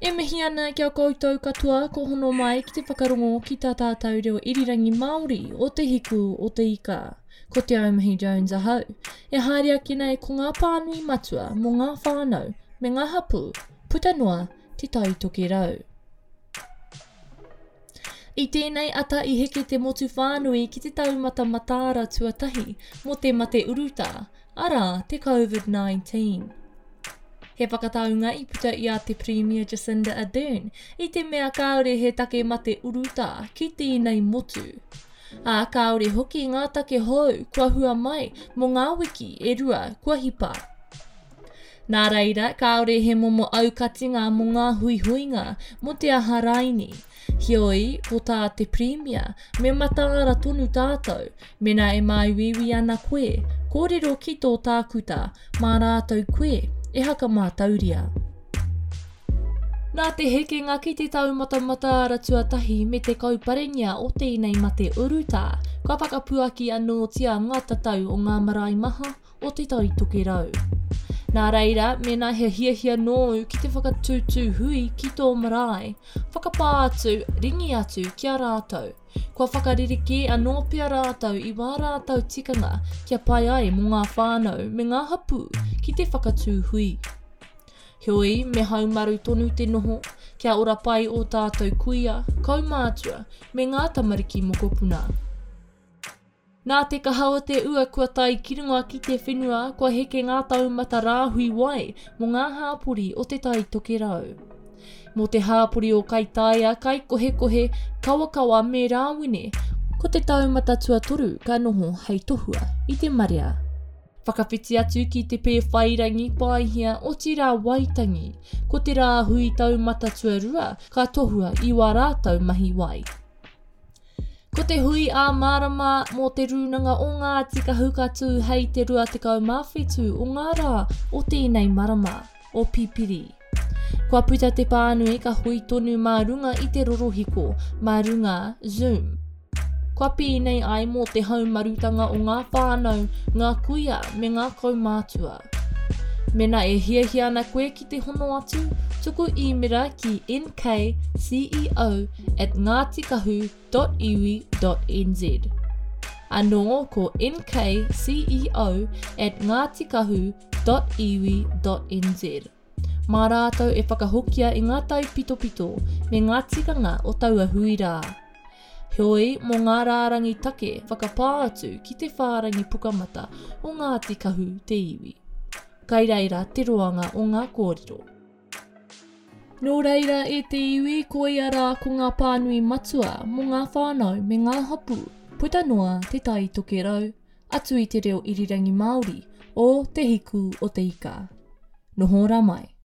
E mihi ana ki a koutou katoa ko hono mai ki te whakarongo ki tā tātou reo irirangi Māori o Te Hiku o Te Ika. Ko Te Aumihi Jones ahau. E haere ake nei ko ngā pānui matua mō ngā whānau me ngā hapū puta noa Te Tai Tokerau. I tēnei ata i heke te motu whānui ki te taumata mataara tuatahi mō te mate urutā, arā, te Covid-19. He whakataunga i puta i a te Pirimia Jacinda Ardern i te mea kāore he take mate urutā ki tēnei motu. Ā, kāore hoki ngā take hou kua hua mai mō ngā wiki e rua kua hipa. Nā reira, kāore he momo aukatinga mō ngā huihuinga, mō te aha raini. Heoi, ko tā te Pirimia, me mataara tonu tātou, mēnā e māuiui ana koe, kōrero ki tō tākuta, mā rātou koe e hakamātauria. Nā te hekenga ki te taumata mataara tuatahi me te kauparengia o tēnei mate urutā, kua whakapuaki anōtia ngā tatau o ngā marae maha o Te Tai Tokerau. Nā reira, mēnā he hiahia nōu ki te whakatūtū hui ki tō marae, whakapā atu, ringi atu ki a rātou. Kua whakarerekē anō pea rātou i wā rātou tikanga kia pai ai mō ngā whānau me ngā hapū ki te whakatū hui. Heoi, me haumaru tonu te noho, kia ora pai ō tātou kuia, kaumātua, me ngā tamariki mokopuna. Nā te kaha o te ua kua tae ki runga ki te whenua, kua heke ngā taumata rāhui wai mō ngā hāpori o Te Tai Tokerau. Mō te hāpori o Kaitaia, Kaikohekohe, Kawakawa me Rāwene, ko te taumata tuatoru ka noho hei tohua i te marea. Whakawhiti atu ki Te Pēwhairangi, Paihia, otirā Waitangi, ko te rāhui taumata tuarua ka tohua i wā rātou mahi wai. Ko te hui ā-marama mō Te Rūnanga o Ngāti Kahu ka tū hei te 27 o ngā rā o tēnei marama, o Pipiri. Kua puta te pānui ka hui tonu mā runga i te rorohiko, mā runga Zoom. Kua pēnei ai mō te haumarutanga o ngā whānau, ngā kuia me ngā kaumātua. Mēnā e hiahia ana koe ki te hono atu, tuku īmera ki nkceo at ngatikahu.iwi.nz. Anō ko nkceo at ngatikahu.iwi.nz. Mā rātou e whakahokia i ngā taipitopito me ngā tikanga o taua hui rā. Heoi, mō ngā rārangi take, whakapā atu ki te whārangi pukamata o Ngāti Kahu te iwi. Kai reira te roanga o ngā kōrero. Nō reira e te iwi, koia rā ko ngā pānui matua mō ngā whānau me ngā hapū puta noa Te Tai Tokerau, atu i te reo irirangi Māori o Te Hiku o te Ika. Noho rā mai.